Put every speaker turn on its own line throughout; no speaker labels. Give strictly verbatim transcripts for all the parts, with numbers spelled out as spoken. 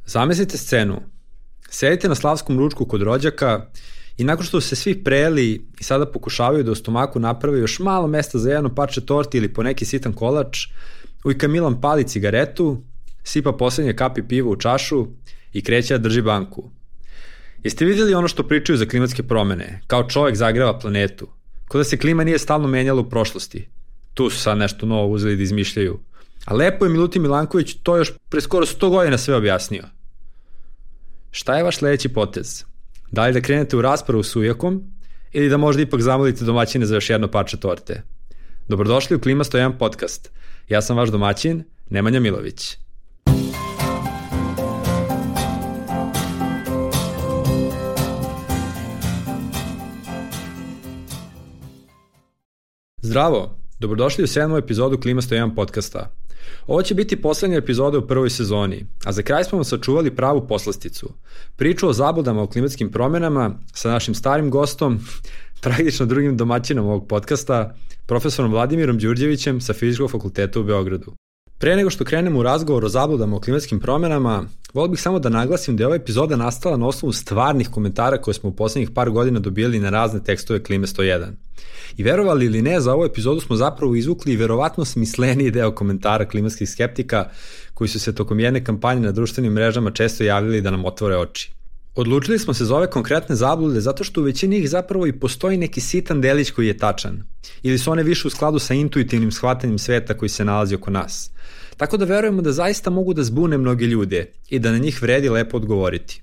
Zamislite scenu. Sedite na slavskom ručku kod rođaka i nakon što su se svi prejeli i sada pokušavaju da u stomaku naprave još malo mesta za jedno parče torti ili po neki sitan kolač, ujka Milan pali cigaretu, sipa poslednje kapi piva u čašu i kreće da drži banku. Jeste vidjeli ono što pričaju za klimatske promene, kao čovjek zagreva planetu, kao da se klima nije stalno menjala u prošlosti. Tu su sad nešto novo uzeli da izmišljaju. A lepo je Milutin Milanković to još pre skoro sto godina sve objasnio. Šta je vaš sledeći potez? Da li da krenete u raspravu s ujakom ili da možda ipak zamolite domaćine za još jedno parče torte? Dobrodošli u Klima sto jedan podcast. Ja sam vaš domaćin, Nemanja Milović. Zdravo, dobrodošli u sedmu epizodu Klima sto jedan podcasta. Ovo će biti poslednja epizoda u prvoj sezoni, a za kraj smo vam sačuvali pravu poslasticu. Priču o zabludama o klimatskim promenama sa našim starim gostom, tragično drugim domaćinom ovog podcasta, profesorom Vladimirom Đurđevićem sa Fizičkog fakulteta u Beogradu. Pre nego što krenemo u razgovor o zabludama o klimatskim promenama, volio bih samo da naglasim da je ova epizoda nastala na osnovu stvarnih komentara koje smo u poslednjih par godina dobijali na razne tekstove Klime sto jedan. I verovali ili ne, za ovu epizodu smo zapravo izvukli i verovatno smisleniji deo komentara klimatskih skeptika koji su se tokom jedne kampanje na društvenim mrežama često javljali da nam otvore oči. Odlučili smo se za ove konkretne zablude zato što u većini ih zapravo i postoji neki sitan delić koji je tačan, ili su one više u skladu sa intuitivnim shvatanjem sveta koji se nalazi oko nas. Tako da verujemo da zaista mogu da zbune mnoge ljude i da na njih vredi lepo odgovoriti.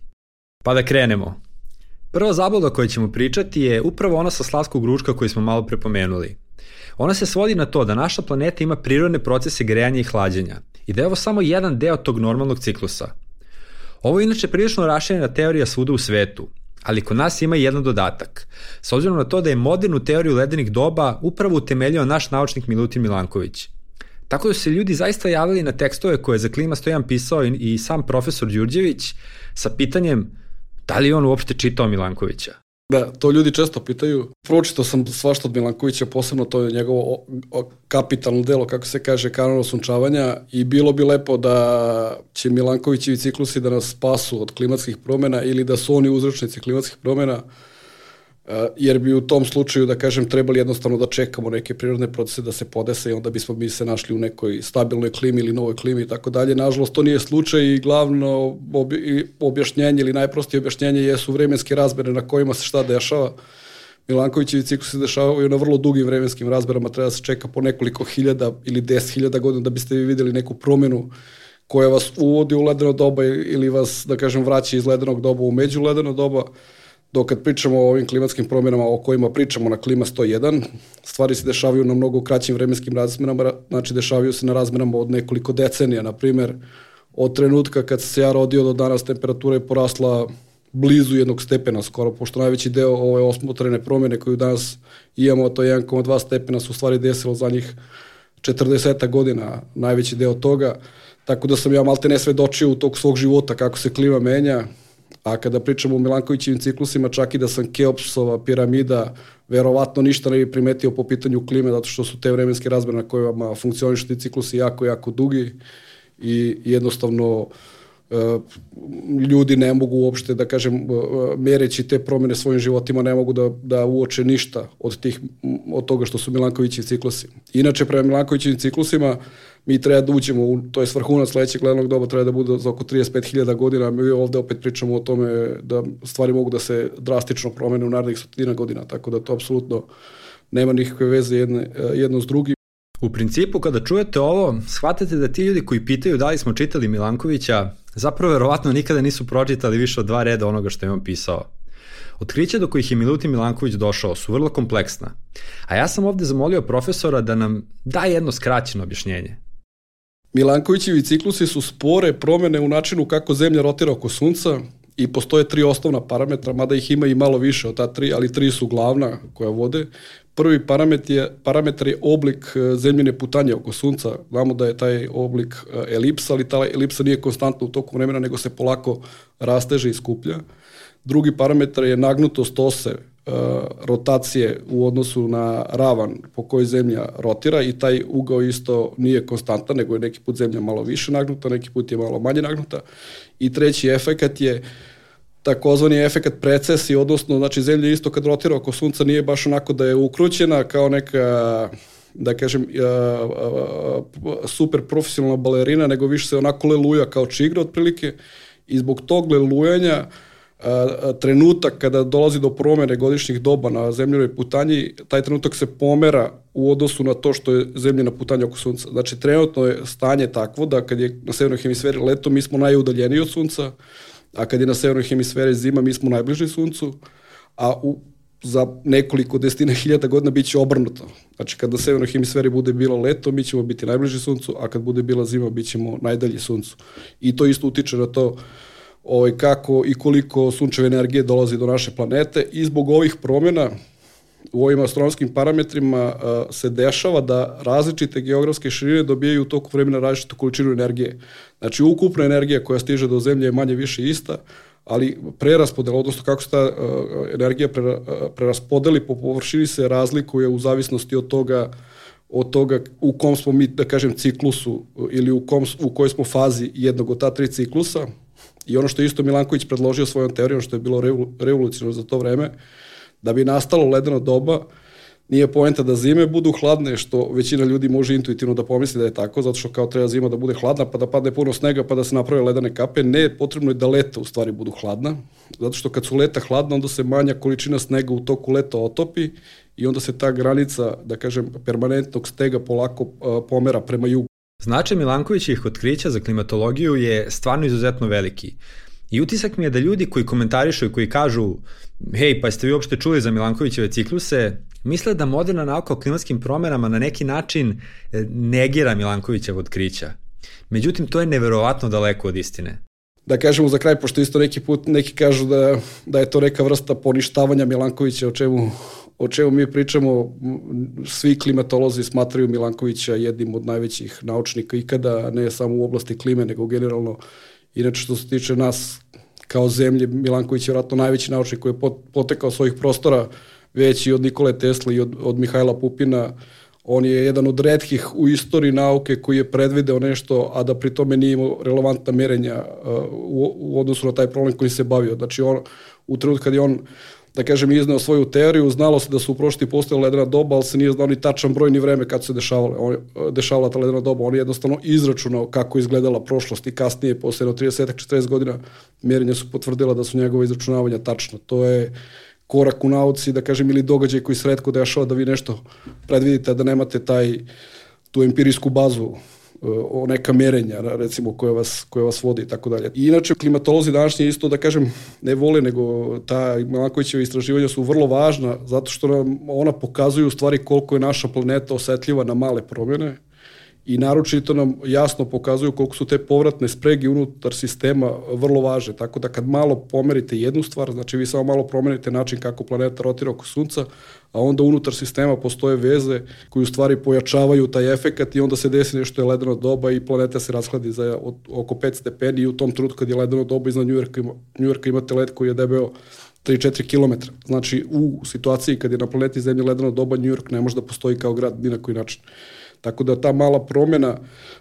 Pa da krenemo. Prva zabluda o kojoj ćemo pričati je upravo ona sa slavskog ručka koju smo malo prepomenuli. Ona se svodi na to da naša planeta ima prirodne procese grejanja i hlađenja i da je ovo samo jedan deo tog normalnog ciklusa. Ovo je inače prilično raširena teorija svuda u svetu, ali kod nas ima jedan dodatak, s obzirom na to da je modernu teoriju ledenih doba upravo utemeljio naš naučnik Milutin Milanković. Tako da su se ljudi zaista javili na tekstove koje je za Klima sto jedan pisao i, i sam profesor Đurđević sa pitanjem da li on uopšte čitao Milankovića.
Da, to ljudi često pitaju. Pročitao sam svašta od Milankovića, posebno to je njegovo kapitalno delo, kako se kaže, Kanon osunčavanja, i bilo bi lepo da će Milankovićevi ciklusi da nas spasu od klimatskih promjena ili da su oni uzročnici klimatskih promjena, jer bi u tom slučaju, da kažem, trebali jednostavno da čekamo neke prirodne procese da se podese i onda bismo mi se našli u nekoj stabilnoj klimi ili novoj klimi i tako dalje. Nažalost, to nije slučaj i glavno objašnjenje ili najprostije objašnjenje jesu vremenske razmere na kojima se šta dešava. Milankovićevi ciklusi se dešavaju na vrlo dugim vremenskim razmerama, treba da se čeka po nekoliko hiljada ili deset hiljada godina da biste vi vidjeli neku promjenu koja vas uvodi u ledeno doba ili vas, da kažem, vraća iz ledenog doba u međuledeno doba. Dok kad pričamo o ovim klimatskim promjenama o kojima pričamo na Klima sto jedan, stvari se dešavaju na mnogo kraćim vremenskim razmerama, znači dešavaju se na razmerama od nekoliko decenija. Na primjer, od trenutka kad se ja rodio do danas temperatura je porasla blizu jednog stepena skoro, pošto najveći deo ove osmotrene promjene koju danas imamo, to je jedan zarez dva stepena, su u stvari desilo za njih četrdeset godina, najveći deo toga, tako da sam ja malte ne svedočio u tog svog života kako se klima menja. A kada pričamo o Milankovićevim ciklusima, čak i da sam Keopsova piramida, verovatno ništa ne bi primetio po pitanju klime, zato što su te vremenske razmere na kojima funkcionišu ti ciklusi jako, jako dugi i jednostavno ljudi ne mogu uopšte, da kažem, mereći te promjene svojim životima, ne mogu da, da uoče ništa od, tih, od toga što su Milankovićevi ciklusi. Inače, prema Milankovićevim ciklusima, mi treba da uđemo, u, to je vrhunac sledećeg ledenog doba, treba da bude za oko trideset pet hiljada godina, mi ovde opet pričamo o tome da stvari mogu da se drastično promene u narednih stotina godina, tako da to apsolutno nema nikakve veze jedne, jedno s drugim.
U principu, kada čujete ovo, shvatate da ti ljudi koji pitaju da li smo čitali Milankovića, zapravo verovatno nikada nisu pročitali više od dva reda onoga što je on pisao. Otkrića do kojih je Milutin Milanković došao su vrlo kompleksna, a ja sam ovde zamolio profesora da nam da jedno skraćeno objašnjenje.
Milankovićevi ciklusi su spore promjene u načinu kako Zemlja rotira oko Sunca i postoje tri osnovna parametra, mada ih ima i malo više od ta tri, ali tri su glavna koja vode. Prvi parametar je, parametar je oblik zemljine putanje oko Sunca. Znamo da je taj oblik elipsa, ali ta elipsa nije konstantna u toku vremena, nego se polako rasteže i skuplja. Drugi parametar je nagnutost ose, rotacije u odnosu na ravan po kojoj Zemlja rotira i taj ugao isto nije konstantan, nego je neki put Zemlja malo više nagnuta, neki put je malo manje nagnuta. I treći efekat je takozvani efekat precesije, odnosno znači zemlja isto kad rotira oko sunca nije baš onako da je ukrućena kao neka, da kažem, super profesionalna balerina, nego više se onako leluja kao čigra otprilike i zbog tog lelujanja trenutak kada dolazi do promjene godišnjih doba na zemljinoj putanji, taj trenutak se pomera u odnosu na to što je zemljina putanja oko sunca. Znači trenutno je stanje takvo da kad je na severnoj hemisferi leto mi smo najudaljeniji od sunca, a kad je na severnoj hemisferi zima mi smo najbliži suncu, a u, za nekoliko desetina hiljada godina bit će obrnuto. Znači kad na severnoj hemisferi bude bilo leto mi ćemo biti najbliži suncu, a kad bude bila zima bit ćemo najdalji suncu. I to isto utiče na to ovaj, kako i koliko sunčeve energije dolazi do naše planete i zbog ovih promjena u ovim astronomskim parametrima uh, se dešava da različite geografske širine dobijaju u toku vremena različitu količinu energije. Znači ukupna energija koja stiže do Zemlje je manje više ista, ali preraspodela, odnosno kako se ta uh, energija prera, uh, preraspodeli po površini se razlikuje u zavisnosti od toga od toga u kom smo mi, da kažem, ciklusu ili u, kom, u kojoj smo fazi jednog od ta tri ciklusa. I ono što je isto Milanković predložio svojom teorijom, što je bilo revolucionarno za to vreme, da bi nastalo ledeno doba, nije poenta da zime budu hladne, što većina ljudi može intuitivno da pomisli da je tako, zato što kao treba zima da bude hladna, pa da padne puno snega, pa da se naprave ledene kape. Ne, potrebno je da leta u stvari budu hladna, zato što kad su leta hladna, onda se manja količina snega u toku leta otopi i onda se ta granica, da kažem, permanentnog stega polako uh, pomera prema jugu.
Značaj Milankovićevih otkrića za klimatologiju je stvarno izuzetno veliki. I utisak mi je da ljudi koji komentarišu i koji kažu hej, pa ste vi uopšte čuli za Milankovićeve cikluse, misle da moderna nauka o klimatskim promjenama na neki način negira Milankovićeva otkrića. Međutim, to je neverovatno daleko od istine.
Da kažemo za kraj, pošto isto neki put neki kažu da, da je to neka vrsta poništavanja Milankovića, o čemu, o čemu mi pričamo, svi klimatolozi smatraju Milankovića jednim od najvećih naučnika ikada, ne samo u oblasti klime, nego generalno. Inače, što se tiče nas kao zemlje, Milanković je vjerojatno najveći naučnik koji je potekao svojih prostora, veći od Nikole Tesle i od, od Mihajla Pupina. On je jedan od retkih u istoriji nauke koji je predvideo nešto, a da pri tome nije imao relevantna merenja uh, u, u odnosu na taj problem koji se bavio. Znači, on, u trenutku kad je on, da kažem, izneo svoju teoriju, znalo se da su u prošlosti postojala ledena doba, ali se nije znao ni tačan broj ni vreme kad su se dešavale. On, dešavala ta ledena doba. On je jednostavno izračunao kako izgledala prošlost i kasnije, posle trideset do četrdeset godina, mjerenja su potvrdila da su njegove izračunavanja tačna. To je korak u nauci, da kažem, ili događaj koji se retko dešava da vi nešto predvidite, da nemate taj, tu empirijsku bazu o neka merenja, recimo, koje vas, koje vas vodi i tako dalje. I inače, klimatolozi današnji isto, da kažem, ne vole, nego ta Milankovićeva istraživanja su vrlo važna, zato što nam ona pokazuju u stvari koliko je naša planeta osetljiva na male promjene i naročito nam jasno pokazuju koliko su te povratne sprege unutar sistema vrlo važne. Tako da kad malo pomerite jednu stvar, znači vi samo malo promenite način kako planeta rotira oko sunca, a onda unutar sistema postoje veze koji u stvari pojačavaju taj efekat i onda se desi nešto je ledeno doba i planeta se rashladi za od, oko pet stepeni i u tom trenutku kad je ledeno doba iznad Njujorka, Njujorka imate led koji je debeo tri do četiri kilometra. Znači u situaciji kad je na planeti Zemlji ledeno doba, Njujork ne može da postoji kao grad ni na koji način. Tako da ta mala promjena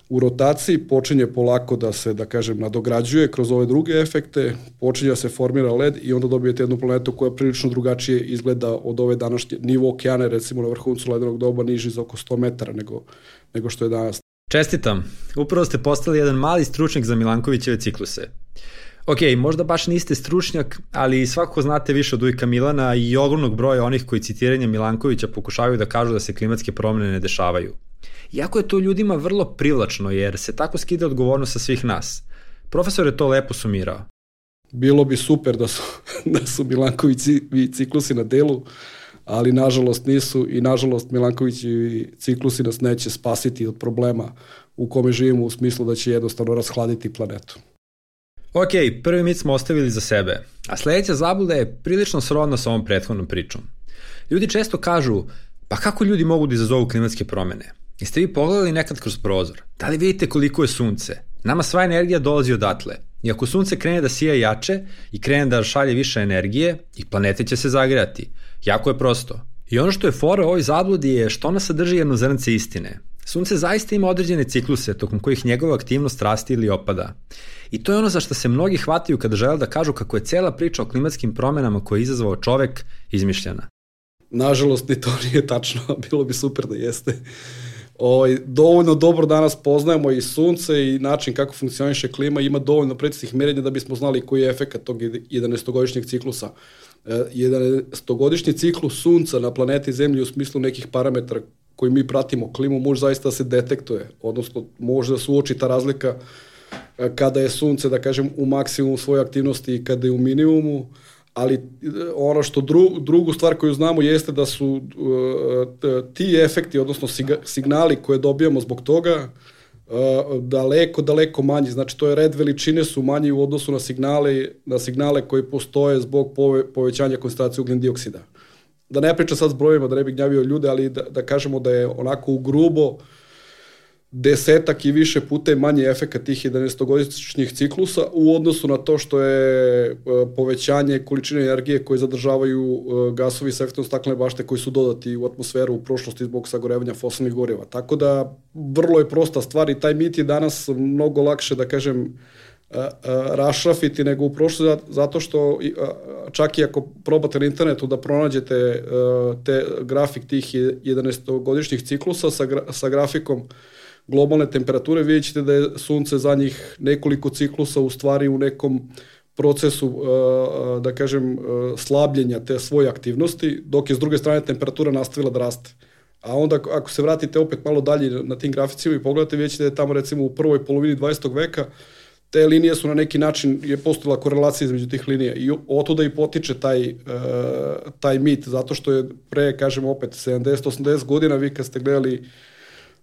u rotaciji počinje polako da se, da kažem, nadograđuje kroz ove druge efekte, počinje da se formira led i onda dobijete jednu planetu koja prilično drugačije izgleda od ove današnje. Nivo okeana, recimo na vrhuncu ledenog doba, niži za oko sto metara nego, nego što je danas.
Čestitam, upravo ste postali jedan mali stručnjak za Milankovićeve cikluse. Ok, možda baš niste stručnjak, ali svakako znate više od ujka Milana i ogromnog broja onih koji citiranje Milankovića pokušavaju da kažu da se klimatske promjene ne dešavaju. Iako je to ljudima vrlo privlačno, jer se tako skida odgovornost sa svih nas. Profesor je to lepo sumirao.
Bilo bi super da su, da su Milankovićevi ciklusi na delu, ali nažalost nisu i nažalost Milankovićevi ciklusi nas neće spasiti od problema u kome živimo, u smislu da će jednostavno rashladiti planetu.
Ok, prvi mit smo ostavili za sebe, a sljedeća zabluda je prilično srodna sa ovom prethodnom pričom. Ljudi često kažu, pa kako ljudi mogu da izazovu klimatske promjene? Jeste vi pogledali nekad kroz prozor? Da li vidite koliko je sunce? Nama sva energija dolazi odatle. I ako sunce krene da sija jače i krene da šalje više energije, i planete će se zagrejati. Jako je prosto. I ono što je fora u ovoj zabludi je što ona sadrži jedno zrnce istine. Sunce zaista ima određene cikluse tokom kojih njegova aktivnost raste ili opada. I to je ono za što se mnogi hvataju kada žele da kažu kako je cela priča o klimatskim promenama koje je izazvao čovek izmišljena.
Nažalost, ni to nije tačno, bilo bi super da jeste. O, dovoljno dobro danas poznajemo i sunce i način kako funkcioniše klima, ima dovoljno preciznih merenja da bismo znali koji je efekat tog jedanaestogodišnjeg ciklusa. jedanaestogodišnji ciklus sunca na planeti Zemlji u smislu nekih parametara koji mi pratimo klimu može zaista da se detektuje, odnosno može da se uoči ta razlika kada je sunce, da kažem, u maksimumu svoje aktivnosti i kada je u minimumu, ali ono što dru, drugu stvar koju znamo jeste da su uh, ti efekti, odnosno signali koje dobijamo zbog toga uh, daleko, daleko manji. Znači to je red veličine su manji u odnosu na signale, na signale koji postoje zbog pove, povećanja koncentracije ugljen dioksida. Da ne pričam sad s brojima, da ne bih gnjavio ljude, ali da, da kažemo da je onako u grubo desetak i više puta manji efekat tih jedanaestogodišnjih ciklusa u odnosu na to što je povećanje količine energije koje zadržavaju gasovi sa efektom staklene bašte koji su dodati u atmosferu u prošlosti zbog sagorevanja fosilnih goriva. Tako da vrlo je prosta stvar i taj mit je danas mnogo lakše, da kažem, rašrafiti nego u prošlosti, zato što čak i ako probate na internetu da pronađete te grafik tih jedanaestogodišnjih ciklusa sa, gra, sa grafikom globalne temperature, vidjet ćete da je sunce za njih nekoliko ciklusa u stvari u nekom procesu, da kažem, slabljenja te svoje aktivnosti, dok je s druge strane temperatura nastavila da raste. A onda ako se vratite opet malo dalje na tim graficima i pogledate, vidjet ćete da je tamo recimo u prvoj polovini dvadesetog veka te linije su na neki način, je postojala korelacija između tih linija i otuda i potiče taj, taj mit, zato što je pre, kažemo opet, sedamdeset osamdeset godina, vi kad ste gledali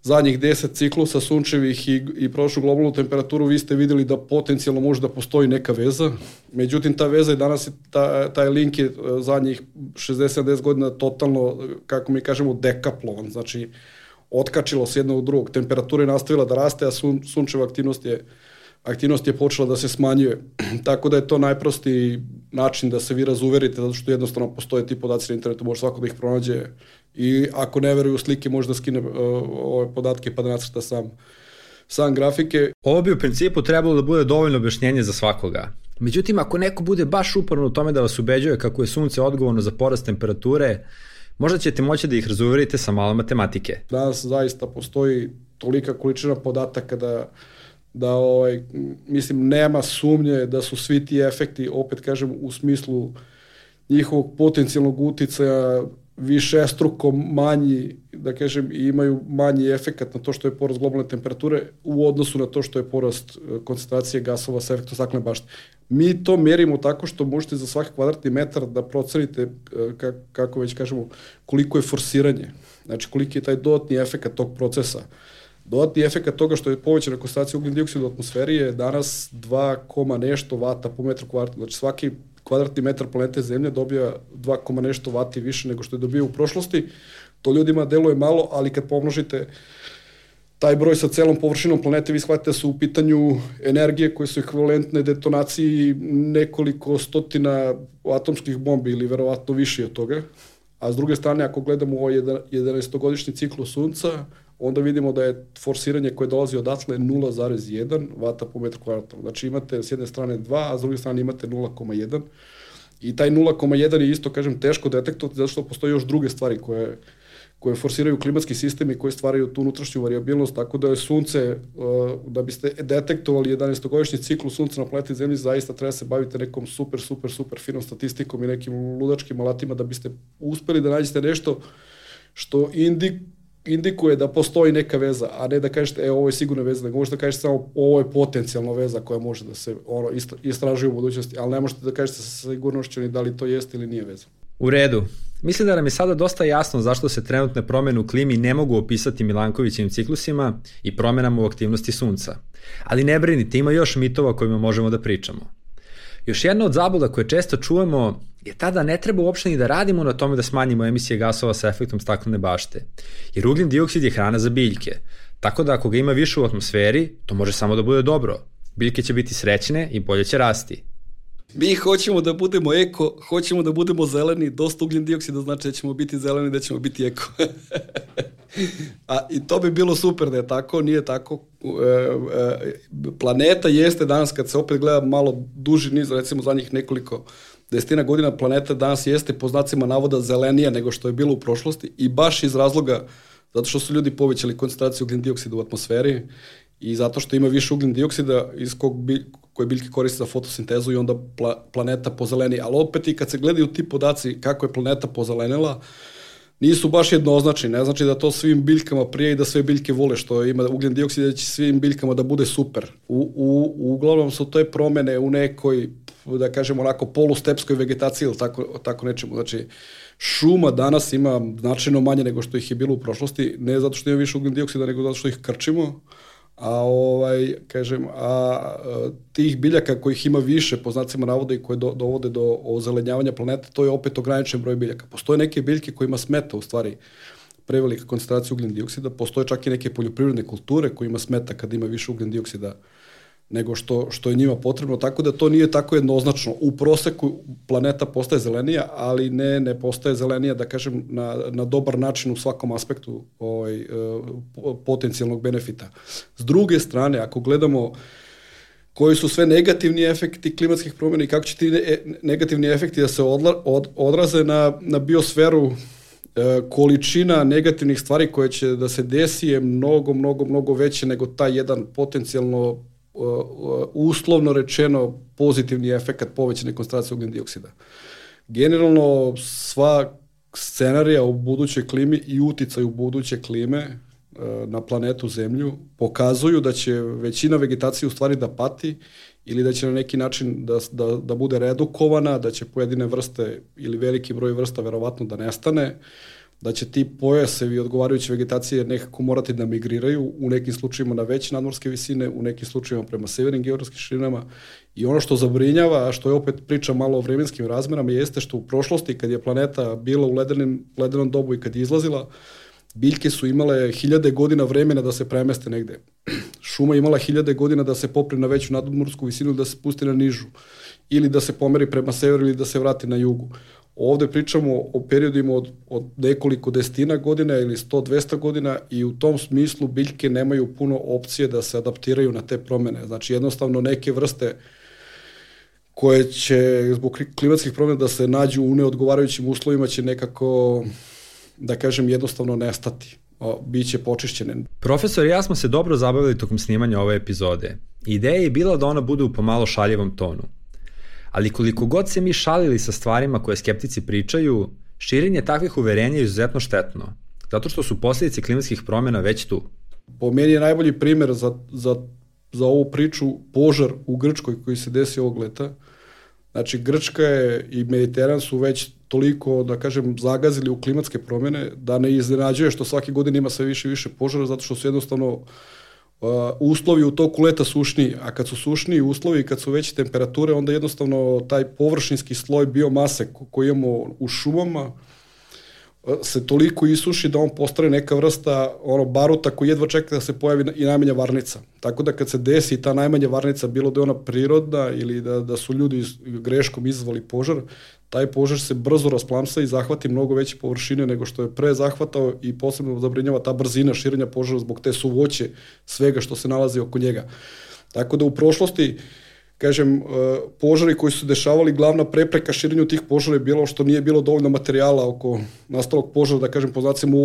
zadnjih deset ciklusa sunčevih i, i prošlu globalnu temperaturu, vi ste vidjeli da potencijalno može da postoji neka veza. Međutim, ta veza je danas, ta, taj link je zadnjih šezdeset sedamdeset godina totalno, kako mi kažemo, dekaplovan. Znači, otkačilo se jedno od drugog. Temperatura je nastavila da raste, a sun, sunčeva aktivnost je, aktivnost je počela da se smanjuje. Tako da je to najprostiji način da se vi razuverite, zato što jednostavno postoje ti podaci na internetu, može svako da ih pronađe i ako ne veruju slike može da skine uh, ove podatke pa da nacrta sam, sam grafike.
Ovo bi u principu trebalo da bude dovoljno objašnjenje za svakoga. Međutim, ako neko bude baš uporno u tome da vas ubeđuje kako je sunce odgovorno za porast temperature, možda ćete moći da ih razuverite sa malo matematike.
Danas zaista postoji tolika količina podataka da da ovaj, mislim, nema sumnje da su svi ti efekti, opet kažem, u smislu njihovog potencijalnog uticaja višestruko manji, da kažem, i imaju manji efekat na to što je porast globalne temperature u odnosu na to što je porast koncentracije gasova sa efektom staklene bašte. Mi to merimo tako što možete za svaki kvadratni metar da procenite, kako već kažemo, koliko je forsiranje, znači koliki je taj dodatni efekat tog procesa. Dodatni efekat toga što je povećana koncentracija ugljen dioksida u atmosferi je danas dva koma nešto vata po metru kvadratnom. Znači svaki kvadratni metar planete Zemlje dobija dva koma nešto vati više nego što je dobio u prošlosti. To ljudima deluje malo, ali kad pomnožite taj broj sa celom površinom planete, vi shvatite da su u pitanju energije koje su ekvivalentne detonaciji nekoliko stotina atomskih bombi ili verovatno više od toga. A s druge strane, ako gledamo ovaj jedanaestogodišnji ciklus sunca, onda vidimo da je forsiranje koje dolazi odatle nula zarez jedan vata po metru kvadratnom. Znači imate s jedne strane dva, a s druge strane imate nula koma jedan. I taj nula koma jedan je isto, kažem, teško detektovati zato što postoje još druge stvari koje, koje forsiraju klimatski sistem i koje stvaraju tu unutrašnju variabilnost, tako da je sunce, da biste detektovali jedanaestogodišnji ciklus sunca na planeti Zemlji, zaista treba se baviti nekom super, super, super finom statistikom i nekim ludačkim alatima da biste uspeli da nađete nešto što indik, indikuje da postoji neka veza, a ne da kažete, e, ovo je sigurna veza, nego možete da kažete samo ovo je potencijalna veza koja može da se ono, istražuje u budućnosti, ali ne možete da kažete sa sigurnošću ni da li to jeste ili nije veza.
U redu. Mislim da nam je sada dosta jasno zašto se trenutne promene u klimi ne mogu opisati Milankovićevim ciklusima i promenama u aktivnosti sunca. Ali ne brinite, ima još mitova kojima možemo da pričamo. Još jedna od zabluda koje često čujemo je ta da ne treba uopšte ni da radimo na tome da smanjimo emisije gasova sa efektom staklene bašte, jer ugljen dioksid je hrana za biljke, tako da ako ga ima više u atmosferi, to može samo da bude dobro. Biljke će biti srećne i bolje će rasti.
Mi hoćemo da budemo eko, hoćemo da budemo zeleni, dosta ugljen dioksida znači da ćemo biti zeleni, da ćemo biti eko. A, i to bi bilo super da je tako, nije tako. E, e, planeta jeste danas, kad se opet gleda malo duži niz, recimo zadnjih nekoliko desetina godina, planeta danas jeste po znacima navoda zelenija nego što je bilo u prošlosti i baš iz razloga zato što su ljudi povećali koncentraciju ugljen dioksida u atmosferi i zato što ima više ugljen dioksida iz kog bi, koje biljke koriste za fotosintezu i onda pla, planeta pozeleni. Ali opet i kad se gledaju ti podaci kako je planeta pozelenila, nisu baš jednoznačni. Ne znači da to svim biljkama prije i da sve biljke vole što ima ugljen dioksid, da će svim biljkama da bude super. U, u, uglavnom su to promene u nekoj, da kažemo onako, polustepskoj vegetaciji ili tako, tako nečemu. Znači, šuma danas ima značajno manje nego što ih je bilo u prošlosti, ne zato što ima više ugljen dioksida, nego zato što ih krčimo. A ovaj, kažem, a, a tih biljaka kojih ima više po znacima navoda i koje do, dovode do ozelenjavanja planete, to je opet ograničen broj biljaka. Postoje neke biljke kojima smeta u stvari prevelika koncentracija ugljen dioksida, postoje čak i neke poljoprivredne kulture kojima smeta kad ima više ugljen dioksida nego što, što je njima potrebno, tako da to nije tako jednoznačno. U proseku planeta postaje zelenija, ali ne, ne postaje zelenija, da kažem, na, na dobar način u svakom aspektu ovaj, potencijalnog benefita. S druge strane, ako gledamo koji su sve negativni efekti klimatskih promjena i kako će ti negativni efekti da se odla, od, odraze na, na biosferu, količina negativnih stvari koje će da se desi je mnogo, mnogo, mnogo veće nego taj jedan potencijalno uslovno rečeno pozitivni efekt povećane koncentracije ugljen dioksida. Generalno sva scenarija u budućoj klimi i uticaj u buduće klime na planetu Zemlju pokazuju da će većina vegetacije u stvari da pati ili da će na neki način da, da, da bude redukovana, da će pojedine vrste ili veliki broj vrsta verovatno da nestane, da će ti pojasevi odgovarajuće vegetacije nekako morati da migriraju, u nekim slučajima na veće nadmorske visine, u nekim slučajima prema severnim geografskim širinama. I ono što zabrinjava, a što je opet priča malo o vremenskim razmerama, jeste što u prošlosti, kad je planeta bila u ledenim, ledenom dobu i kad je izlazila, biljke su imale hiljade godina vremena da se premeste negde. Šuma imala hiljade godina da se popre na veću nadmorsku visinu ili da se spusti na nižu, ili da se pomeri prema severu ili da se vrati na jugu. Ovde pričamo o periodima od, od nekoliko desetina godina ili sto do dvesta godina i u tom smislu biljke nemaju puno opcije da se adaptiraju na te promene. Znači jednostavno neke vrste koje će zbog klimatskih promjena da se nađu u neodgovarajućim uslovima će nekako, da kažem, jednostavno nestati. O, biće počišćene.
Profesor i ja smo se dobro zabavili tokom snimanja ove epizode. Ideja je bila da ona bude u pomalo šaljivom tonu. Ali koliko god se mi šalili sa stvarima koje skeptici pričaju, širenje takvih uverenja je izuzetno štetno, zato što su posljedice klimatskih promjena već tu.
Po meni je najbolji primjer za, za, za ovu priču požar u Grčkoj koji se desi ovog leta. Znači, Grčka je i Mediteran su već toliko, da kažem, zagazili u klimatske promjene, da ne iznenađuje što svake godine ima sve više i više požara, zato što su jednostavno Uh, uslovi u toku leta sušniji, a kad su sušniji uslovi i kad su veće temperature, onda jednostavno taj površinski sloj biomase koji imamo u šumama uh, se toliko isuši da on postane neka vrsta ono, baruta koji jedva čeka da se pojavi i najmanja varnica. Tako da kad se desi ta najmanja varnica, bilo da je ona prirodna ili da, da su ljudi greškom izazvali požar, taj požar se brzo rasplamsa i zahvati mnogo veće površine nego što je pre zahvatao i posebno zabrinjava ta brzina širenja požara zbog te suvoće svega što se nalazi oko njega. Tako da u prošlosti, kažem, požari koji su dešavali, glavna prepreka širenju tih požara je bilo što nije bilo dovoljno materijala oko nastalog požara, da kažem, po znacima,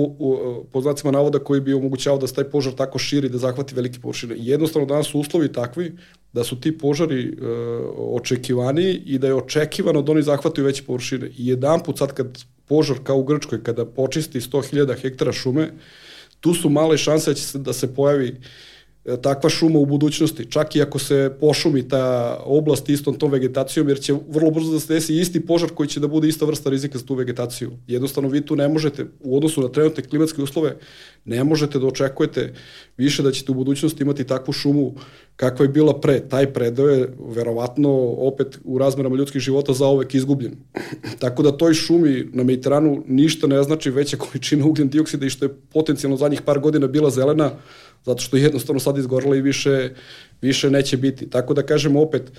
po znacima navoda koji bi omogućavao da se taj požar tako širi, da zahvati velike površine. I jednostavno danas su uslovi takvi da su ti požari e, očekivani i da je očekivano da oni zahvataju veće površine. I jedan put sad kad požar kao u Grčkoj, kada počisti sto hiljada hektara šume, tu su male šanse da će se, da se pojavi takva šuma u budućnosti, čak i ako se pošumi ta oblast istom tom vegetacijom, jer će vrlo brzo da se desi isti požar koji će da bude ista vrsta rizika za tu vegetaciju. Jednostavno vi tu ne možete, u odnosu na trenutne klimatske uslove, ne možete da očekujete više da ćete u budućnosti imati takvu šumu kakva je bila pre. Taj predeo je verovatno opet u razmerama ljudskih života zauvek izgubljen. Tako da toj šumi na Mediteranu ništa ne znači veća količina ugljen dioksida i što je potencijalno zadnjih par godina bila zelena, zato što je jednostavno sad izgorela i više, više neće biti. Tako da kažem opet,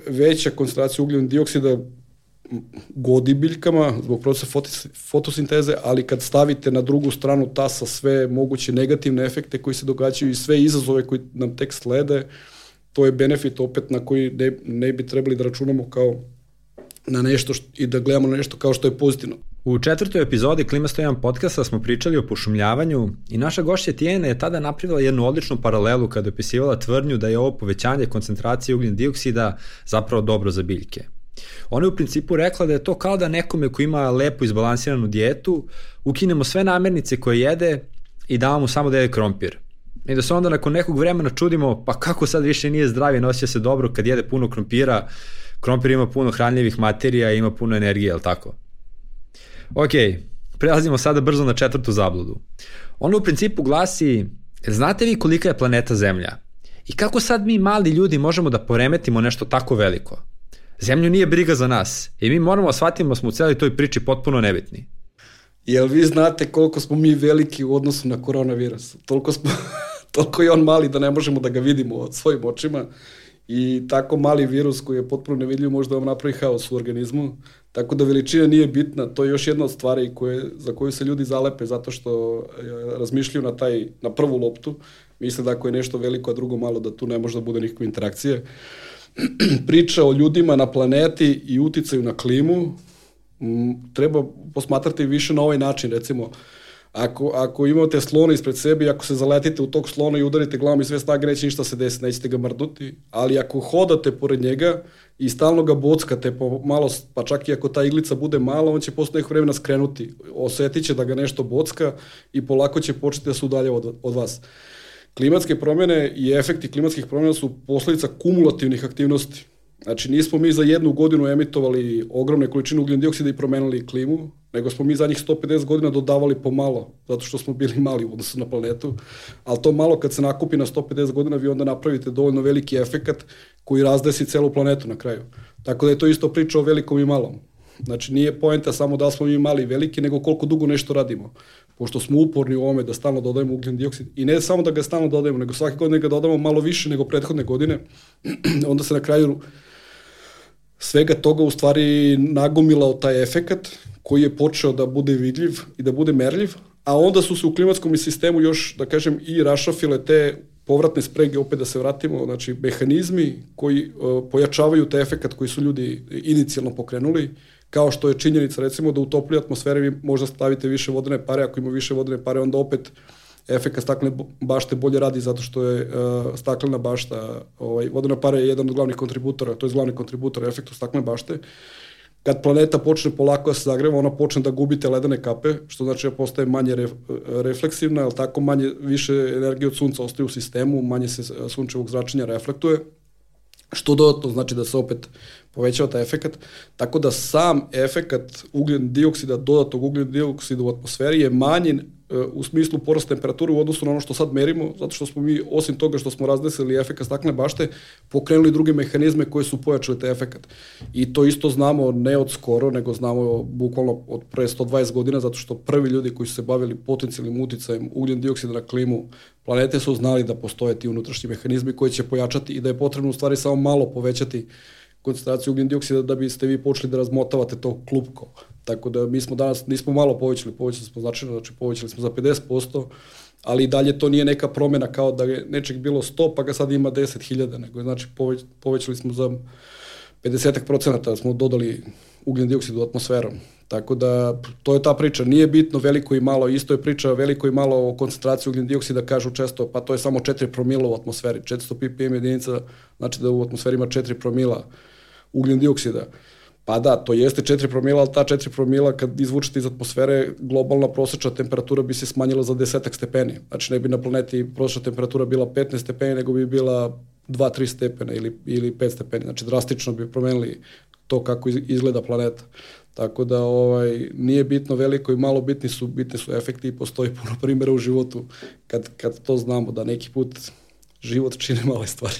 veća koncentracija ugljen dioksida godi biljkama zbog procesa fotosinteze, ali kad stavite na drugu stranu tasa sve moguće negativne efekte koji se događaju i sve izazove koji nam tek slede, to je benefit opet na koji ne, ne bi trebali da računamo kao na nešto što, i da gledamo na nešto kao što je pozitivno.
U četvrtoj epizodi Klima sto jedan podcasta smo pričali o pošumljavanju i naša gošća Tijena je tada napravila jednu odličnu paralelu kada je opisivala tvrdnju da je ovo povećanje koncentracije ugljen dioksida zapravo dobro za biljke. Ona je u principu rekla da je to kao da nekome ko ima lepo izbalansiranu dijetu ukinemo sve namirnice koje jede i damo mu samo da jede krompir. I da se onda nakon nekog vremena čudimo pa kako sad više nije zdrav i nosio se dobro kad jede puno krompira. Krompir ima puno hranljivih materija i ima puno energije, je li tako? Ok, prelazimo sada brzo na četvrtu zabludu. Ona u principu glasi, znate vi kolika je planeta Zemlja? I kako sad mi mali ljudi možemo da poremetimo nešto tako veliko? Zemlju nije briga za nas i mi moramo da shvatimo da smo u celoj toj priči potpuno nebitni.
Jel vi znate koliko smo mi veliki u odnosu na koronavirus? Toliko, smo, toliko je on mali da ne možemo da ga vidimo svojim očima i tako mali virus koji je potpuno nevidljiv može da vam napravi haos u organizmu. Tako da veličina nije bitna, to je još jedna od stvari koje, za koju se ljudi zalepe zato što razmišljaju na, taj, na prvu loptu. Misle da ako je nešto veliko, a drugo malo, da tu ne može da bude nikakve interakcije. Priča o ljudima na planeti i uticaju na klimu treba posmatrati više na ovaj način. Recimo, ako, ako imate slona ispred sebe i ako se zaletite u tog slona i udarite glavom i sve snage, neće ništa se desiti, nećete ga mrdnuti, ali ako hodate pored njega i stalno ga bockate po malo, pa čak i ako ta iglica bude mala, on će posle nekog vremena skrenuti, osetit će da ga nešto bocka i polako će početi da se udaljava od, od vas. Klimatske promjene i efekti klimatskih promjena su posledica kumulativnih aktivnosti. Znači, nismo mi za jednu godinu emitovali ogromne količine ugljen dioksida i promenili klimu, nego smo mi zadnjih sto pedeset godina dodavali pomalo, zato što smo bili mali u odnosu na planetu, ali to malo kad se nakupi na sto pedeset godina, vi onda napravite dovoljno veliki efekat koji razdesi celu planetu na kraju. Tako da je to isto priča o velikom i malom. Znači, nije poenta samo da smo mi mali i veliki, nego koliko dugo nešto radimo. Pošto smo uporni u ovome da stalno dodajemo ugljen dioksid, i ne samo da ga stalno dodajemo, nego svake godine ga dodamo malo više nego prethodne godine, onda se na kraju svega toga u stvari nagomilao taj efekat koji je počeo da bude vidljiv i da bude merljiv, a onda su se u klimatskom sistemu još, da kažem, i rašafile te povratne sprege, opet da se vratimo, znači mehanizmi koji uh, pojačavaju taj efekat koji su ljudi inicijalno pokrenuli, kao što je činjenica recimo da u toploj atmosferi vi možda stavite više vodene pare, ako ima više vodene pare, onda opet efekat staklene bašte bolje radi zato što je uh, staklena bašta, ovaj, vodena para je jedan od glavnih kontributora, to je glavni kontributor efektu staklene bašte. Kad planeta počne polako da se zagreva, ona počne da gubi te ledene kape, što znači da postaje manje ref, refleksivna, ali tako manje, više energije od sunca ostaje u sistemu, manje se sunčevog zračenja reflektuje, što dodatno znači da se opet povećava taj efekat, tako da sam efekat ugljen dioksida, dodatnog ugljen dioksida u atmosferi je manji u smislu porasta temperature u odnosu na ono što sad merimo, zato što smo mi, osim toga što smo razdesili efekat staklene bašte, pokrenuli druge mehanizme koji su pojačali taj efekat. I to isto znamo ne od skoro, nego znamo bukvalno od pre sto dvadeset godina, zato što prvi ljudi koji su se bavili potencijalnim uticajem ugljen dioksida na klimu planete su znali da postoje ti unutrašnji mehanizmi koji će pojačati i da je potrebno u stvari samo malo povećati koncentraciju ugljen dioksida da biste vi počeli da razmotavate to klupko. Tako da mi smo danas, nismo malo povećali, povećali smo značajno, znači povećali smo za pedeset posto, ali i dalje to nije neka promjena kao da je nečeg bilo sto pa ga sad ima deset hiljada, nego znači poveć, povećali smo za pedeset procenata, smo dodali ugljen dioksid u atmosferu. Tako da to je ta priča, nije bitno veliko i malo, isto je priča veliko i malo o koncentraciji ugljen dioksida, kažu često, pa to je samo četiri promila u atmosferi, četiristo ppm jedinica, znači da u atmosferi ima četiri promila ugljen dioksida. Pa da, to jeste četiri promila, ali ta četiri promila kad izvučete iz atmosfere, globalna prosečna temperatura bi se smanjila za desetak stepeni. Znači ne bi na planeti prosečna temperatura bila petnaest stepeni, nego bi bila dva do tri stepena ili, ili pet stepeni. Znači drastično bi promenili to kako izgleda planeta. Tako da ovaj, nije bitno veliko i malo, bitni su, bitni su efekti i postoji puno primjera u životu kad, kad to znamo da neki put život čine male stvari.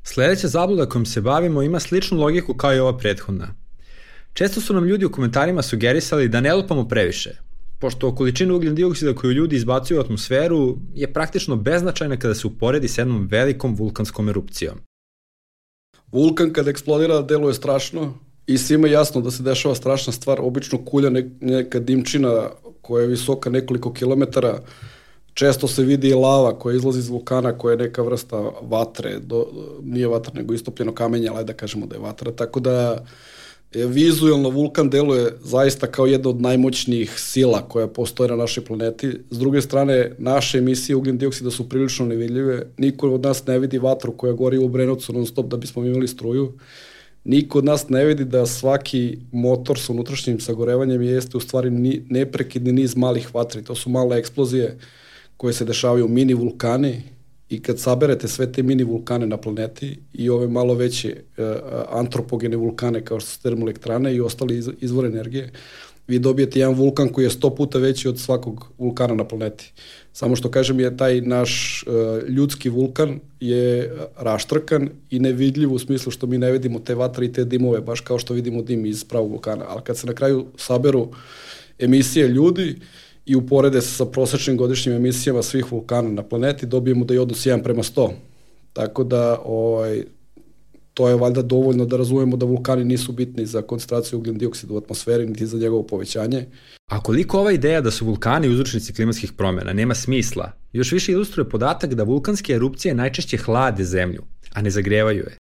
Sljedeća zabluda kojom se bavimo ima sličnu logiku kao i ova prethodna. Često su nam ljudi u komentarima sugerisali da ne lupamo previše, pošto količina ugljen dioksida koju ljudi izbacuju u atmosferu je praktično beznačajna kada se uporedi s jednom velikom vulkanskom erupcijom.
vulkan kad eksplodira deluje strašno i svima jasno da se dešava strašna stvar, obično kulja ne, neka dimčina koja je visoka nekoliko kilometara, često se vidi i lava koja izlazi iz vulkana, koja je neka vrsta vatre, do, nije vatra nego istopljeno kamenje, ali da kažemo da je vatra, tako da vizualno vulkan deluje zaista kao jedna od najmoćnijih sila koja postoje na našoj planeti. S druge strane, naše emisije ugljen dioksida su prilično nevidljive. Niko od nas ne vidi vatru koja gori u Obrenovcu non stop da bismo imali struju. Niko od nas ne vidi da svaki motor sa unutrašnjim sagorevanjem jeste u stvari neprekidni niz malih vatri. To su male eksplozije koje se dešavaju u mini vulkani. I kad saberete sve te mini vulkane na planeti i ove malo veće uh, antropogene vulkane kao što su termoelektrane i ostali iz, izvore energije, vi dobijete jedan vulkan koji je sto puta veći od svakog vulkana na planeti. Samo što kažem je taj naš uh, ljudski vulkan je raštrkan i nevidljiv u smislu što mi ne vidimo te vatre i te dimove, baš kao što vidimo dim iz pravog vulkana. Ali kad se na kraju saberu emisije ljudi i uporede se sa prosečnim godišnjim emisijama svih vulkana na planeti, dobijemo da je odnos jedan prema sto. Tako da ovaj, to je valjda dovoljno da razumemo da vulkani nisu bitni za koncentraciju ugljen dioksida u atmosferi, niti za njegovo povećanje.
A koliko ova ideja da su vulkani uzročnici klimatskih promjena nema smisla, još više ilustruje podatak da vulkanske erupcije najčešće hlade zemlju, a ne zagrevaju je.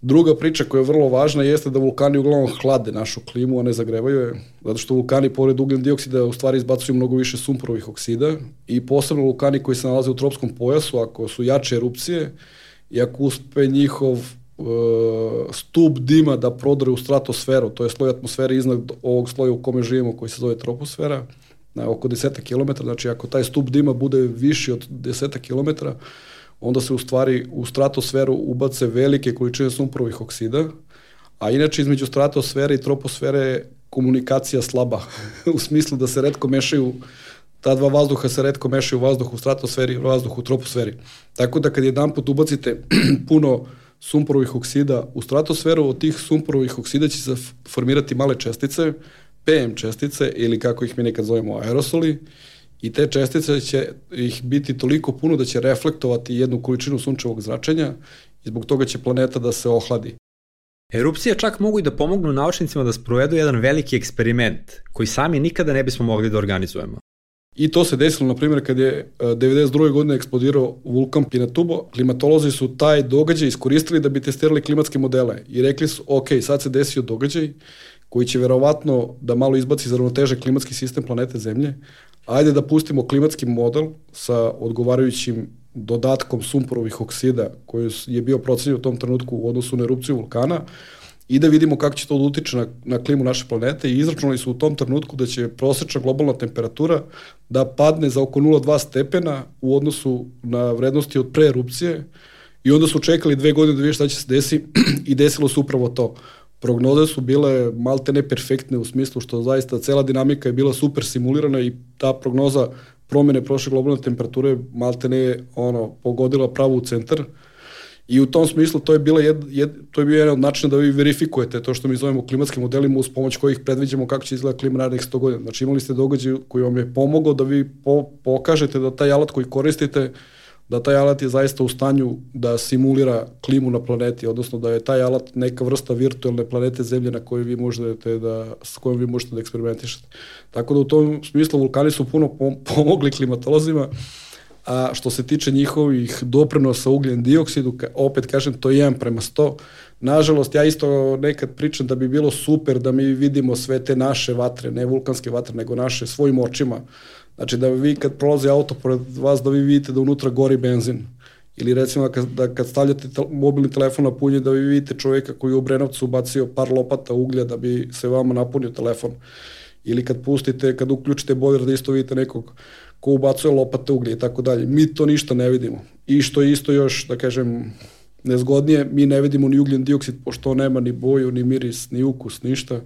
Druga priča koja je vrlo važna jeste da vulkani uglavnom hlade našu klimu, a ne zagrevaju je, zato što vulkani pored ugljen dioksida u stvari izbacuju mnogo više sumporovih oksida i posebno vulkani koji se nalaze u tropskom pojasu, ako su jače erupcije i ako uspe njihov uh, stup dima da prodre u stratosferu, to je sloj atmosfere iznad ovog sloja u kome živimo koji se zove troposfera, na oko deset kilometara, znači ako taj stup dima bude viši od deset kilometara, onda se u stvari u stratosferu ubace velike količine sumporovih oksida, a inače između stratosfere i troposfere je komunikacija slaba, u smislu da se retko mešaju, ta dva vazduha se retko mešaju, vazduh u stratosferi i vazduh u troposferi. Tako da kad jedan put ubacite puno sumporovih oksida u stratosferu, od tih sumporovih oksida će se formirati male čestice, P M čestice ili kako ih mi nekad zovemo aerosoli, i te čestice će ih biti toliko puno da će reflektovati jednu količinu sunčevog zračenja i zbog toga će planeta da se ohladi.
Erupcije čak mogu i da pomognu naučnicima da sprovedu jedan veliki eksperiment koji sami nikada ne bismo mogli da organizujemo.
I to se desilo, na primjer, kad je devedeset druge godine eksplodirao vulkan Pinatubo, klimatolozi su taj događaj iskoristili da bi testirali klimatske modele i rekli su, ok, sad se desio događaj koji će verovatno da malo izbaci iz ravnoteže klimatski sistem planete Zemlje, ajde da pustimo klimatski model sa odgovarajućim dodatkom sumporovih oksida koji je bio procenjen u tom trenutku u odnosu na erupciju vulkana i da vidimo kako će to da utiče na, na klimu naše planete i izračunali su u tom trenutku da će prosečna globalna temperatura da padne za oko nula zarez dva stepena u odnosu na vrednosti od pre erupcije i onda su čekali dve godine da vide šta će se desiti i desilo se upravo to. Prognoze su bile malte ne perfektne u smislu što zaista cela dinamika je bila super simulirana i ta prognoza promjene prošle globalne temperature malte ne ono, pogodila pravo u centar i u tom smislu to je, bila jed, jed, to je bio jedan od načina da vi verifikujete to što mi zovemo klimatskim modelima uz pomoć kojih predviđamo kako će izgledati klima narednih sto godina. Znači imali ste događaj koji vam je pomogao da vi po, pokažete da taj alat koji koristite da taj alat je zaista u stanju da simulira klimu na planeti, odnosno da je taj alat neka vrsta virtualne planete Zemlje na kojoj vi možete da, s kojom vi možete da eksperimentišete. Tako da u tom smislu vulkani su puno pomogli klimatolozima, a što se tiče njihovih doprinosa ugljen dioksidu, opet kažem, to je jedan prema sto. Nažalost, ja isto nekad pričam da bi bilo super da mi vidimo sve te naše vatre, ne vulkanske vatre, nego naše svojim očima. Znači da vi kad prolazi auto pored vas da vi vidite da unutra gori benzin. Ili recimo da kad, da kad stavljate te, mobilni telefon na punje da vi vidite čovjeka koji je u Obrenovcu ubacio par lopata uglja da bi se vama napunio telefon. Ili kad pustite, kad uključite bojler da isto vidite nekog ko ubacuje lopate uglja i tako dalje. Mi to ništa ne vidimo. I što je isto još, da kažem, nezgodnije, mi ne vidimo ni ugljen dioksid pošto on nema ni boju, ni miris, ni ukus, ništa.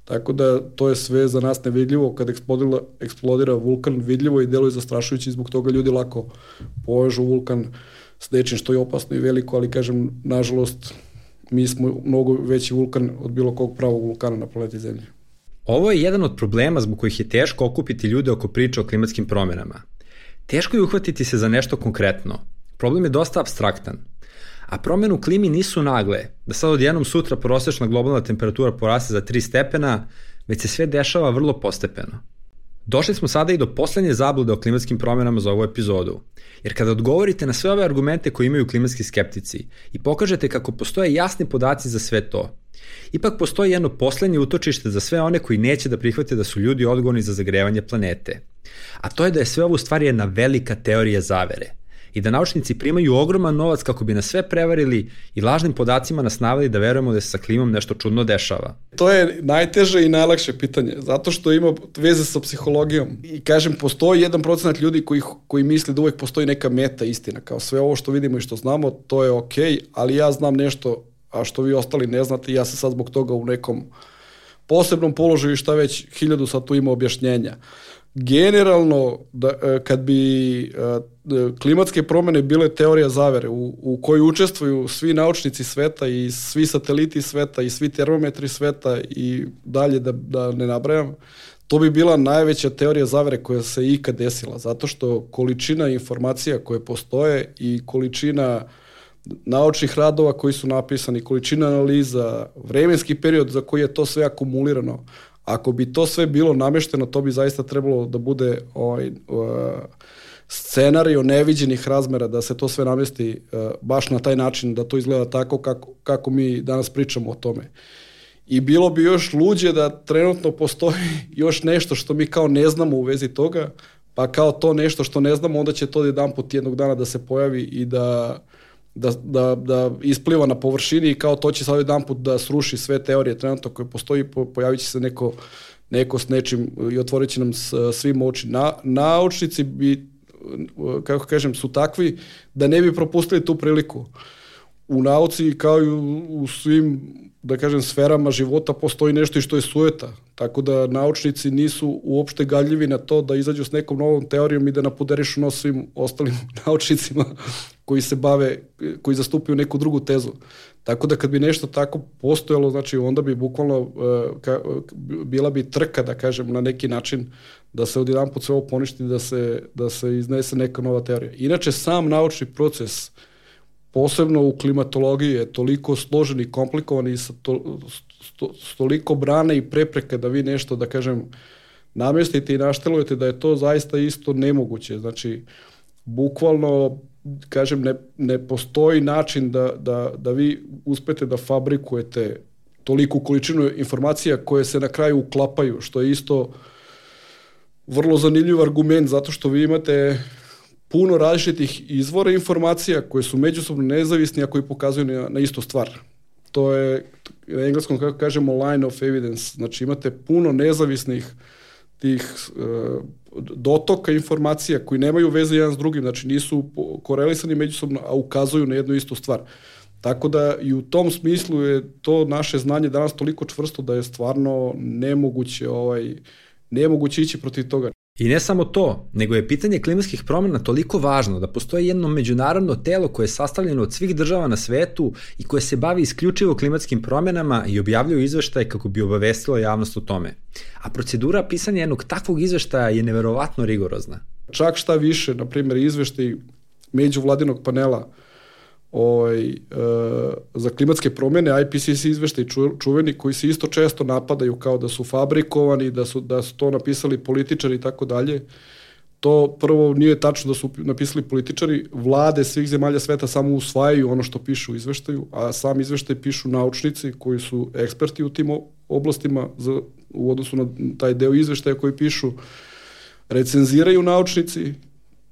Tako da to je sve za nas nevidljivo. Kad eksplodira, eksplodira vulkan, vidljivo i deluje zastrašujući, zbog toga ljudi lako povežu vulkan s nečim što je opasno i veliko, ali kažem, nažalost, mi smo mnogo veći vulkan od bilo kog pravog vulkana na planeti Zemlje.
Ovo je jedan od problema zbog kojih je teško okupiti ljude oko priče o klimatskim promjenama. Teško je uhvatiti se za nešto konkretno. Problem je dosta apstraktan. A promjene u klimi nisu nagle, da sad odjednom sutra prosječna globalna temperatura poraste za tri stepena, već se sve dešava vrlo postepeno. Došli smo sada i do poslednje zablude o klimatskim promjenama za ovu epizodu, jer kada odgovorite na sve ove argumente koje imaju klimatski skeptici i pokažete kako postoje jasni podaci za sve to, ipak postoji jedno poslednje utočište za sve one koji neće da prihvate da su ljudi odgovorni za zagrevanje planete. A to je da je sve ovo u stvari jedna velika teorija zavere i da naučnici primaju ogroman novac kako bi nas sve prevarili i lažnim podacima nas naveli da verujemo da se sa klimom nešto čudno dešava.
To je najteže i najlakše pitanje, zato što ima veze sa psihologijom. I kažem, postoji jedan procenat ljudi koji, koji misli da uvek postoji neka meta istina, kao sve ovo što vidimo i što znamo, to je okej, ali ja znam nešto, a što vi ostali ne znate, ja sam sad zbog toga u nekom posebnom položaju i šta već, hiljadu sad tu ima objašnjenja. Generalno, da, kad bi klimatske promjene bile teorija zavere u, u kojoj učestvuju svi naučnici sveta i svi sateliti sveta i svi termometri sveta i dalje da, da ne nabrajam, to bi bila najveća teorija zavere koja se ikad desila, zato što količina informacija koje postoje i količina naučnih radova koji su napisani, količina analiza, vremenski period za koji je to sve akumulirano, ako bi to sve bilo namešteno, to bi zaista trebalo da bude ovaj, uh, scenario neviđenih razmera, da se to sve namesti uh, baš na taj način, da to izgleda tako kako, kako mi danas pričamo o tome. I bilo bi još luđe da trenutno postoji još nešto što mi kao ne znamo u vezi toga, pa kao to nešto što ne znamo, onda će to jedan put jednog dana da se pojavi i da Da, da, da ispliva na površini i kao to će sad jedan put da sruši sve teorije trenutno koje postoji, pojavit će se neko, neko s nečim i otvorit će nam svim oči. Na, naučnici bi, kako kažem, su takvi da ne bi propustili tu priliku. U nauci kao i u, u svim, da kažem, sferama života postoji nešto i što je sujeta. Tako da naučnici nisu uopšte gadljivi na to da izađu s nekom novom teorijom i da napuderišu nos svim ostalim naučnicima koji se bave, koji zastupaju neku drugu tezu. Tako da kad bi nešto tako postojalo, znači onda bi bukvalno uh, ka, bila bi trka, da kažem, na neki način da se odjedanput sve ovo poništi, da se, da se iznese neka nova teorija. Inače, sam naučni proces, posebno u klimatologiji, je toliko složen i komplikovan i sa to, sto, toliko brane i prepreke da vi nešto, da kažem, namestite i naštelujete, da je to zaista isto nemoguće. Znači, bukvalno, kažem, ne, ne postoji način da, da, da vi uspete da fabrikujete toliku količinu informacija koje se na kraju uklapaju, što je isto vrlo zanimljiv argument, zato što vi imate puno različitih izvora informacija koje su međusobno nezavisni, a koji pokazuju na, na istu stvar. To je, na engleskom kako kažemo, line of evidence. Znači imate puno nezavisnih tih uh, dotoka informacija koji nemaju veze jedan s drugim, znači nisu korelisani međusobno, a ukazuju na jednu istu stvar. Tako da i u tom smislu je to naše znanje danas toliko čvrsto da je stvarno nemoguće, ovaj, nemoguće ići protiv toga.
I ne samo to, nego je pitanje klimatskih promjena toliko važno da postoji jedno međunarodno telo koje je sastavljeno od svih država na svetu i koje se bavi isključivo klimatskim promjenama i objavljuje izveštaje kako bi obavestilo javnost o tome. A procedura pisanja jednog takvog izveštaja je neverovatno rigorozna.
Čak šta više, na primjer, izveštaj međuvladinog panela Ovaj, e, za klimatske promjene, I P C C izveštaj ču, čuveni, koji se isto često napadaju kao da su fabrikovani, da su, da su to napisali političari i tako dalje. To prvo nije tačno da su napisali političari, vlade svih zemalja sveta samo usvajaju ono što pišu u izveštaju, a sam izveštaj pišu naučnici koji su eksperti u tim oblastima za, u odnosu na taj deo izveštaja koji pišu, recenziraju naučnici,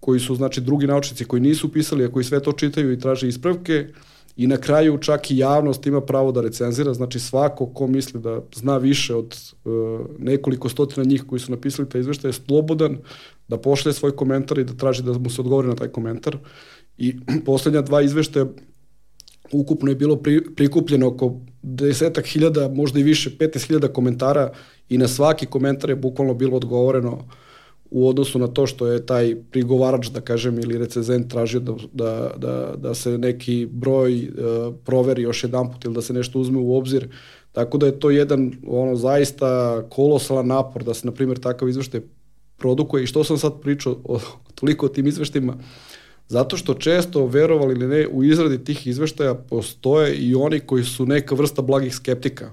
koji su, znači, drugi naučnici koji nisu pisali, a koji sve to čitaju i traže ispravke, i na kraju čak i javnost ima pravo da recenzira, znači svako ko misli da zna više od uh, nekoliko stotina njih koji su napisali taj izveštaj je slobodan da pošalje svoj komentar i da traži da mu se odgovori na taj komentar. I poslednja dva izveštaja ukupno je bilo pri, prikupljeno oko desetak hiljada, možda i više, petnaest hiljada komentara, i na svaki komentar je bukvalno bilo odgovoreno u odnosu na to što je taj prigovarač, da kažem, ili recenzent tražio da, da, da, da se neki broj uh, proveri još jedan put ili da se nešto uzme u obzir. Tako da je to jedan ono zaista kolosalan napor da se, na primjer, takav izveštaj produkuje. I što sam sad pričao o, toliko o tim izveštajima, Zato što često, verovali ili ne, u izradi tih izveštaja postoje i oni koji su neka vrsta blagih skeptika.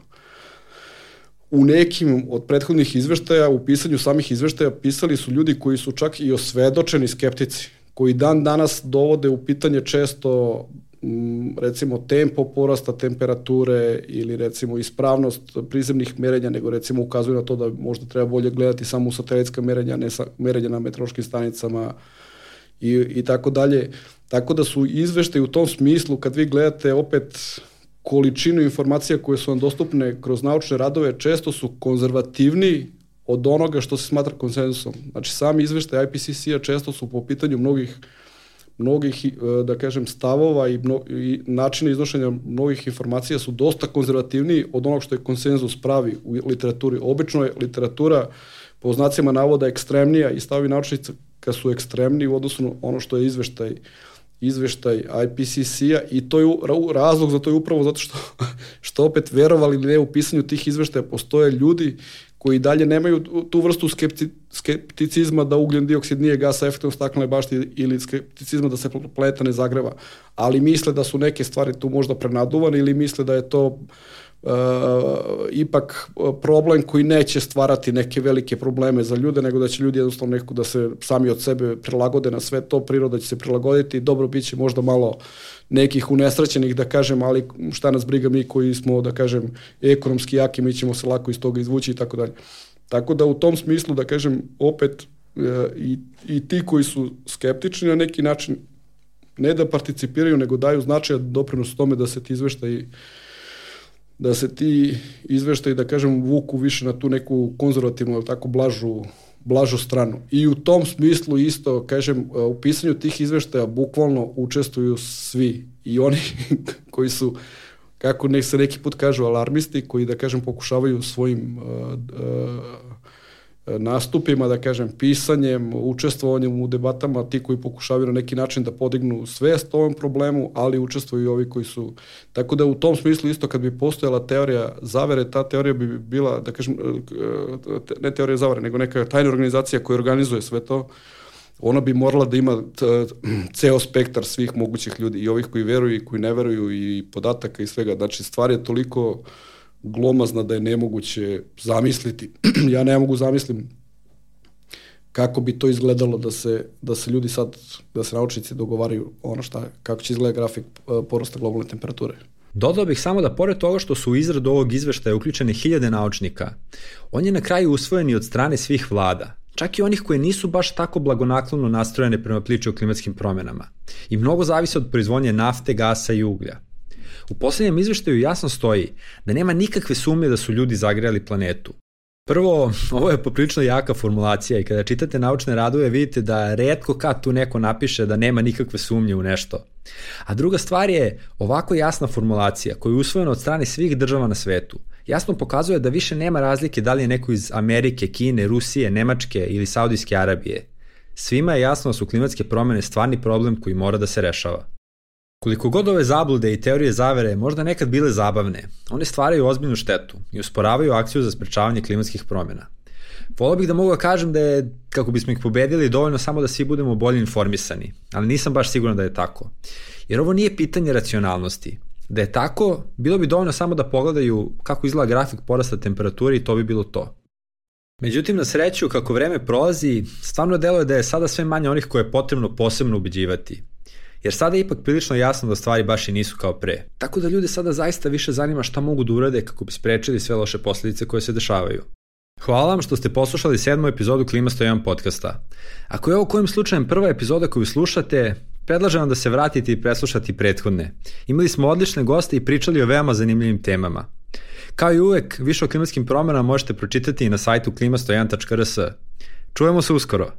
U nekim od prethodnih izveštaja, u pisanju samih izveštaja, pisali su ljudi koji su čak i osvedočeni skeptici, koji dan danas dovode u pitanje često recimo tempo porasta temperature ili recimo ispravnost prizemnih merenja, nego recimo ukazuju na to da možda treba bolje gledati samo u satelitska merenja, ne sa, merenja na meteorološkim stanicama i, i tako dalje. Tako da su izveštaji u tom smislu, kad vi gledate opet količinu informacija koje su vam dostupne kroz naučne radove, često su konzervativniji od onoga što se smatra konsenzusom. Znači, sami izveštaj I P C C-a često su po pitanju mnogih mnogih, da kažem, stavova i, mno, i načina iznošenja mnogih informacija su dosta konzervativniji od onog što je konsenzus pravi u literaturi. Obično je literatura po znacima navoda ekstremnija i stavovi naučnika su ekstremniji u odnosu na ono što je izveštaj izveštaj I P C C-a i to je razlog za to je upravo zato što, što opet verovali ili ne u pisanju tih izveštaja postoje ljudi koji dalje nemaju tu vrstu skepti, skepticizma da ugljen dioksid nije gas sa efektom staklene bašte ili skepticizma da se planeta ne zagreva, ali misle da su neke stvari tu možda prenaduvane ili misle da je to uh, ipak problem koji neće stvarati neke velike probleme za ljude, nego da će ljudi jednostavno neko da se sami od sebe prilagode na sve to, priroda će se prilagoditi, dobro biće možda malo nekih unesrećenih, da kažem, ali šta nas briga mi koji smo, da kažem, ekonomski jaki, mi ćemo se lako iz toga izvući i tako dalje. Tako da u tom smislu, da kažem, opet e, i, i ti koji su skeptični na neki način, ne da participiraju, nego daju značajan doprinos tome da se ti izveštaji da se ti izveštaji, da kažem, vuku više na tu neku konzervativnu, tako blažu blažu stranu. I u tom smislu isto, kažem, u pisanju tih izveštaja bukvalno učestvuju svi. I oni koji su, kako nek se neki put kažu, alarmisti, koji, da kažem, pokušavaju svojim uh, uh, nastupima, da kažem, pisanjem, učestvovanjem u debatama, ti koji pokušavaju na neki način da podignu svest o ovom problemu, ali učestvuju i ovi koji su... Tako da u tom smislu isto kad bi postojala teorija zavere, ta teorija bi bila, da kažem, ne teorija zavere, nego neka tajna organizacija koja organizuje sve to, ona bi morala da ima ceo spektar svih mogućih ljudi, i ovih koji veruju i koji ne veruju, i podataka i svega. Znači, stvar je toliko glomazna da je nemoguće zamisliti. Ja ne mogu zamislim kako bi to izgledalo da se, da se ljudi sad, da se naučnici dogovaraju ono šta, kako će izgledati grafik porasta globalne temperature.
Dodao bih samo da pored toga što su u izradu ovog izveštaja uključene hiljade naučnika, on je na kraju usvojen i od strane svih vlada, čak i onih koje nisu baš tako blagonaklono nastrojene prema priči o klimatskim promenama. I mnogo zavisi od proizvodnje nafte, gasa i uglja. U poslednjem izveštaju jasno stoji da nema nikakve sumnje da su ljudi zagrejali planetu. Prvo, ovo je poprilično jaka formulacija i kada čitate naučne radove vidite da retko kad tu neko napiše da nema nikakve sumnje u nešto. A druga stvar je ovako jasna formulacija koja je usvojena od strane svih država na svetu. Jasno pokazuje da više nema razlike da li je neko iz Amerike, Kine, Rusije, Nemačke ili Saudijske Arabije. Svima je jasno da su klimatske promene stvarni problem koji mora da se rešava. Koliko god ove zablude i teorije zavere možda nekad bile zabavne, one stvaraju ozbiljnu štetu i usporavaju akciju za sprečavanje klimatskih promjena. Volio bih da mogu da kažem da je, kako bismo ih pobedili, dovoljno samo da svi budemo bolje informisani, ali nisam baš siguran da je tako. Jer ovo nije pitanje racionalnosti. Da je tako, bilo bi dovoljno samo da pogledaju kako izgleda grafik porasta temperature i to bi bilo to. Međutim, na sreću, kako vreme prolazi, stvarno deluje da je sada sve manje onih koje je potrebno posebno ubeđivati. Jer sada je ipak prilično jasno da stvari baš i nisu kao pre. Tako da ljude sada zaista više zanima šta mogu da urade kako bi sprečili sve loše posljedice koje se dešavaju. Hvala vam što ste poslušali sedmu epizodu Klima sto jedan podcasta. Ako je ovo kojim slučajem prva epizoda koju slušate, predlažem vam da se vratite i preslušati prethodne. Imali smo odlične goste i pričali o veoma zanimljivim temama. Kao i uvek, više o klimatskim promenama možete pročitati i na sajtu klima sto jedan tačka r s. Čujemo se uskoro!